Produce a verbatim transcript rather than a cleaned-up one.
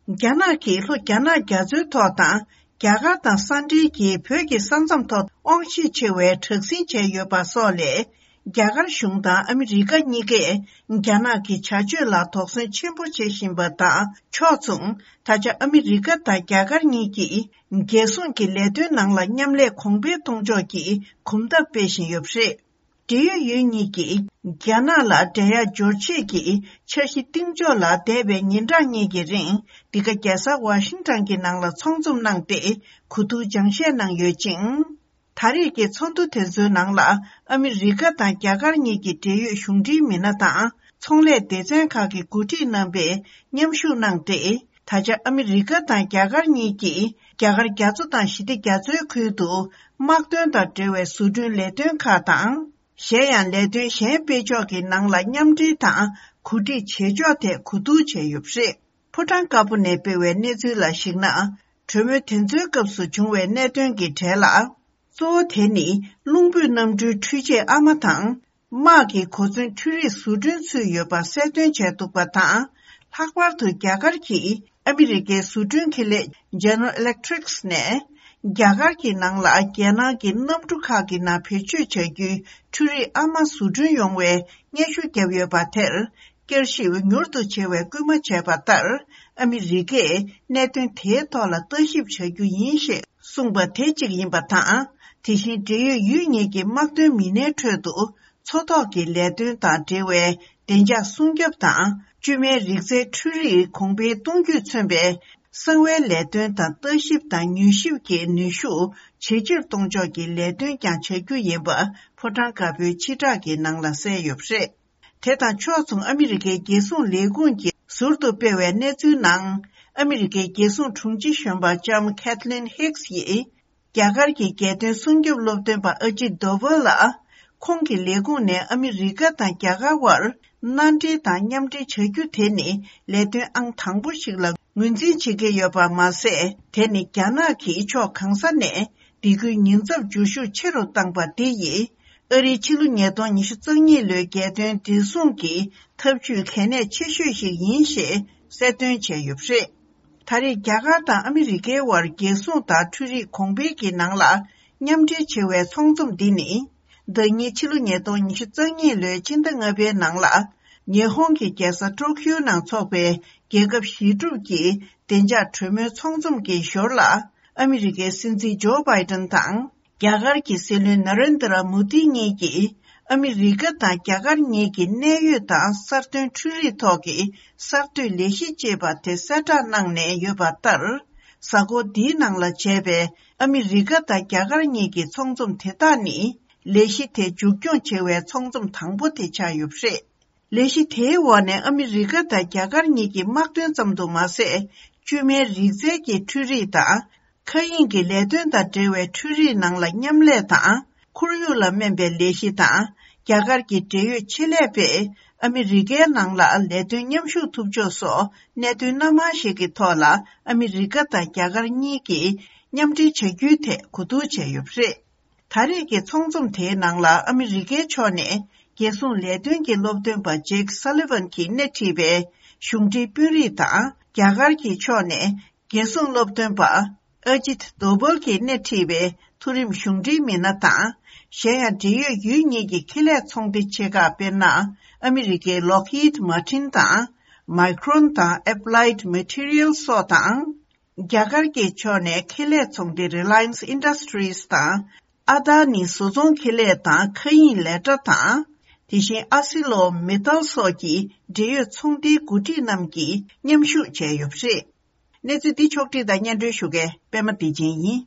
རྒྱ་ནག་གིས་ལྷོ་རྒྱ་ནག་རྒྱ་མཚོའི་ཐོག་དང་། རྒྱ་གར་དང་ས་འབྲེལ་གྱིས་བོད་ཀྱི་ས་མཚམས་ཐོག་དབང་ཤེད་ཆེ་བའི་དྲག་ཟིང་བྱས་ཡོད་པ་སོགས་ལས། རྒྱ་གར་གཞུང་དང་ཨ་མི་རི་ཀ་གཉིས་ཀས་རྒྱ་ནག་གི་བྱ་སྤྱོད་ལ་དོགས་ཟོན་ཆེན་པོ་བྱེད་བཞིན་པ་དང་ཕྱོགས་མཚུངས། ད་ཆ་ཨ་མི་རི་ཀ་དང་རྒྱ་གར་གཉིས་ཀྱིས་རྒྱལ་སྲུང་གི་ལས་དོན་ནང་ལ་མཉམ་ལས་གོང་འཕེལ་གཏོང་ཕྱོགས་ཀྱི་གོམ་སྟབས་སྤེལ་བཞིན་ཡོད་པ་རེད། འབྲེལ་ཡོད་ཡུལ་གཉིས་ཀྱིས་རྒྱ་ནག་ལ་འགྲན་ཡ་འབྱོར་ཆེད་ཀྱི་འཆར་གཞི་བཏིང་ཕྱོགས་ལ་འདས་པའི་ཉིན་གྲངས་གཉིས་ཀྱི་རིང་འདི་ག་རྒྱལ་ས་ཝ་ཤིང་ཊོན་གྱི་ནང་ལ་ཚོགས་འཛོམས་གནང་སྟེ་གོ་བསྡུར་སྦྱང་བཤད་གནང་ཡོད་ཅིང་། ད་རེས་ཀྱི་ཚོགས་འདུ་དེ་ཚོའི་ནང་ལ་ཨ་མི་རི་ཀ་དང་རྒྱ་གར་གཉིས་ཀྱི་འབྲེལ་ཡོད་གཞུང་འབྲེལ་མི་སྣ་དང་ཚོང་ལས་སྡེ་ཚན་ཁག་གི་འགོ་ཁྲིད་རྣམ་པས་མཉམ་ཞུགས་གནང་སྟེ། ད་ཆ་ཨ་མི་རི་ཀ་དང་རྒྱ་གར་གཉིས་ཀྱིས་རྒྱ་གར་རྒྱ་མཚོ་དང་ཞི་བདེ་རྒྱ་མཚོའི་ཁུལ་དུ་དམག་དོན་དང་འབྲེལ་བའི་བཟོ་སྐྲུན་ལས་དོན་ཁག་དང་། གཞན་ཡང་ལས་དོན་གཞན་སྤེལ་ཕྱོགས་ཀྱི་ནང་ལ་མཉམ་འབྲེལ་དང་གོ་སྒྲིག་བྱེད་ཕྱོགས་ཐད་གོ་བསྡུར་བྱས་ཡོད་པ་རེད། ཕོ་བྲང་དཀར་པོ་ནས་སྤེལ་བའི་གནས་ཚུལ་ལ་གཞིགས་ན། གྲོས་མོལ་དེ་ཚོའི་སྐབས་སུ་བྱུང་བའི་གནད་དོན་གྱི་གྲས་ལ། གཙོ་བོ་དེ་ནི་རླུང་བུས་གནམ་གྲུའི་འཕྲུལ་ཆས་ཨ་མ་དང་། དམག་གི་གོ་མཚོན་འཕྲུལ་རིགས་བཟོ་སྐྲུན་ཚུད་ཡོད་པ་གསལ་སྟོན་བྱས་འདུག་པ་དང་། ལྷག་པར་དུ་རྒྱ་གར་གྱིས་ཨ་མི་རི་ཀའི་བཟོ་སྐྲུན་ཁེ་ལས་General Electrics ནས། རྒྱ་གར་གྱི་ནང་ལ་རྒྱལ་ནང་གི་གནམ་གྲུ་ཁག་གི་ནང་བེད་སྤྱོད་བྱ་རྒྱུའི་འཕྲུལ་རིགས་ཨ་མ་བཟོ་སྐྲུན་ཡོང་བའི་སྙན་ཞུ་བརྒྱབ་ཡོད་པ་དེར། བསྐྱར་ཞིབ་མྱུར་དུ་བྱེད་པའི་སྐུལ་མ་བྱས་པ་ལྟར། ཨ་མི་རི་ཀས་གནད་དོན་དེའི་ཐོག་ལ་ལྟ་ཞིབ་བྱ་རྒྱུ་ཡིན་ཞེས་གསུངས་པ་དེ་གཅིག་ཡིན་པ་དང་། དེ་བཞིན་འབྲེལ་ཡོད་ཡུལ་གཉིས་ཀྱི་དམག་དོན་མི་སྣའི་ཁྲོད་དུ། མཚོ་ཐོག་གི་ལས་དོན་དང་འབྲེལ་བའི་བདེ་འཇགས་སྲུང་སྐྱོབ་དང་། བཅོས་མའི་རིག་རྩལ་འཕྲུལ་རིག་གོང་འཕེལ་གཏོང་རྒྱུས་མཚོན་པའི་གསང་བའི་ལས་དོན་དང་ལྟ་ཞིབ་དང་མྱུལ་ཞིབ་ཀྱི་ནུས་ཤུགས་ཇེ་ཆེར་གཏོང་ཕྱོགས་ཀྱི་ལས་དོན་ཀྱང་བྱ་རྒྱུ་ཡིན་པ་ཕོ་བྲང་དཀར་པོའི་སྤྱི་བསྒྲགས་ཀྱི་ནང་ལ་གསལ་ཡོད་པ་རེད། དེ་དང་ཕྱོགས་མཚུངས་ཨ་མི་རི་ཀའི་རྒྱལ་སྲུང་ལས་ཁུངས་ཀྱིས་ཟུར་དུ་སྤེལ་བའི་གནས་ཚུལ་ནང་། ཨ་མི་རི་ཀའི་རྒྱལ་སྲུང་དྲུང་ཆེ་གཞོན་པ་ལྕམ་Kathleen Hicks་ཡིས། རྒྱ་གར་གྱི་རྒྱལ་དོན་སྲུང་སྐྱོབ་སློབ་སྟོན་པ་ཨ་ཇིད་དོ་བལ་ལ། ཁོང་གི་ལས་ཁུངས་ནས་ཨ་མི་རི་ཀ་དང་རྒྱ་གར་བར་མནའ་འབྲེལ་དང་མཉམ་འབྲེལ་བྱ་རྒྱུ་དེ་ནི་ལས་དོན་ཨང་དང་པོ་ཞིག་ལ་ངོས་འཛིན་བྱེད་ཀྱི་ཡོད་པ་མ་ཟད། དེ་ནི་རྒྱ་ནག་གིས་ཕྱོགས་གང་ས་ནས་སྡེ་ཁུལ་ཉེན་ཚབས་འཇུ་ཤུགས་ཆེ་རུ་བཏང་པ་འདི་ཡིས། ཨ་རིའི་ཕྱི་ལོ་ཉིས་སྟོང་ཉི་ཤུ་རྩ་གཉིས་ལོའི་རྒྱལ་དོན་བདེ་སྲུང་གི་འཐབ་ཇུས་གལ་གནད་ཆེ་ཤོས་ཤིག་ཡིན་ཞེས་གསལ་སྟོན་བྱས་ཡོད་པ་རེད། ད་རེས་རྒྱ་གར་དང་ཨ་མི་རི་ཀའི་དབར་རྒྱལ་སྲུང་དང་འཕྲུལ་རིག་གོང་འཕེལ་གྱི་ནང་ལ་མཉམ་འབྲེལ་བྱེད་པའི་ཚོགས་འཛོམས་འདི་ནི། ཟླ་ཉིན་ཕྱི་ལོ་ཉིས་སྟོང་ཉི་ཤུ་རྩ་གཉིས་ལོའི་ཕྱི་ཟླ་ལྔ་པའི་ནང་ལ། ཉི་ཧོང་གི་རྒྱལ་ས་ཀྲོ་ཁིའོ་ནང་འཚོགས་པའི་རྒྱལ་ཁབ་ཞི་གྲུབ་ཀྱི་བདེ་འཇགས་གྲོས་མོལ་ཚོགས་འཛོམས་ཀྱི་ཞོར་ལ། ཨ་མི་རི་ཀའི་སྲིད་འཛིན་ཇོ་བྷའི་ཏན་དང་། རྒྱ་གར་གྱི་སྲིད་བློན་ན་རེན་དྲ་མོ་དི་གཉིས་ཀྱིས། ཨ་མི་རི་ཀ་དང་རྒྱ་གར་གཉིས་ཀྱི་གནད་ཡོད་དང་གསར་ཐོན་འཕྲུལ་རིག་ཐོག་གི་གསར་གཏོད་ལས་གཞི་ཅེས་པ་དེ་གསལ་བསྒྲགས་གནང་ནས་ཡོད་པ་ལྟར། གཟའ་འཁོར་འདིའི་ནང་ལ་བྱས་པའི་ཨ་མི་རི་ཀ་དང་རྒྱ་གར་གཉིས་ཀྱི་ཚོགས་འཛོམས་དེ་དག་ནི། ལས་གཞི་དེ་མཇུག་སྐྱོང་བྱེད་པའི་ཚོགས་འཛོམས་དང་པོ་དེ་ཆགས་ཡོད་པ་རེད། ལས་གཞི་དེའི་འོག་ནས་ཨ་མི་རི་ཀ་དང་རྒྱ་གར་གཉིས་ཀྱི་དམག་དོན་ཙམ་དུ་མ་ཟད། བཅོས་མའི་རིག་རྩལ་གྱི་འཕྲུལ་རིག་དང་། མཁའ་དབྱིངས་ཀྱི་ལས་དོན་དང་འབྲེལ་བའི་འཕྲུལ་རིག་ནང་ལ་མཉམ་ལས་དང་། ཁོར་ཡུག་ལ་སྨན་པའི་ལས་གཞི་དང་། རྒྱ་གར་གྱི་འབྲེལ་ཡོད་ཆེད་ལས་པས་ཨ་མི་རི་ཀའི་ནང་ལ་ལས་དོན་མཉམ་ཞུགས་ཐུབ་ཕྱོགས་སོགས་གནད་དོན་སྣ་མང་ཞིག་གི་ཐོག་ལ་ཨ་མི་རི་ཀ་དང་རྒྱ་གར་གཉིས་ཀྱིས་མཉམ་འབྲེལ་བྱ་རྒྱུའི་ཐད་གོ་བསྡུར་བྱས་ཡོད་པ་རེད། ད་རེས་ཀྱི་ཚོགས་འཛོམས་དེའི་ནང་ལ་ཨ་མི་རི་ཀའི་ཕྱོགས་ནས་རྒྱལ་སྲུང་ལས་དོན་གྱི་སློབ་སྟོན་པ་ཇེག་སཱ་ལི་ཝན་གྱིས་སྣེ་ཁྲིད་པའི་གཞུང་འབྲེལ་དཔོན་རིགས་དང་། རྒྱ་གར་གྱི་ཕྱོགས་ནས་རྒྱལ་སྲུང་སློབ་སྟོན་པ་ཨ་ཇིད་དོ་བལ་གྱིས་སྣེ་ཁྲིད་པའི་མཐོ་རིམ་གཞུང་འབྲེལ་མི་སྣ་དང་། གཞན་ཡང་འབྲེལ་ཡོད་ཡུལ་གཉིས་ཀྱི་ཁེ་ལས་ཚོང་སྡེ་ཆེ་ཁག་དཔེར་ན། ཨ་མི་རི་ཀའི་Lockheed Martin་དང་། Micron་དང་Applied Materials་སོགས་དང་། རྒྱ་གར་གྱི་ཕྱོགས་ནས་ཁེ་ལས་ཚོང་སྡེ་Reliance Industries་དང་། ཨ་དྷ་ནི་བཟོ་ཚོང་ཁེ་ལས་དང་མཁའ་དབྱིངས་ལས་གྲྭ་དང་། དེ་བཞིན་ཨ་སི་ལོ་མེ་ཏལ་སོགས་ཀྱི་འབྲེལ་ཡོད་ཚོང་སྡེའི་འགོ་ཁྲིད་རྣམས་ཀྱིས་མཉམ་ཞུགས་བྱས་ཡོད་པ་རེད། གནས་ཚུལ་འདི་ཕྱོགས་བསྒྲིགས་དང་སྙན་སྒྲོན་ཞུ་མཁན་པད་མ་བདེ་ཆེན་ཡིན།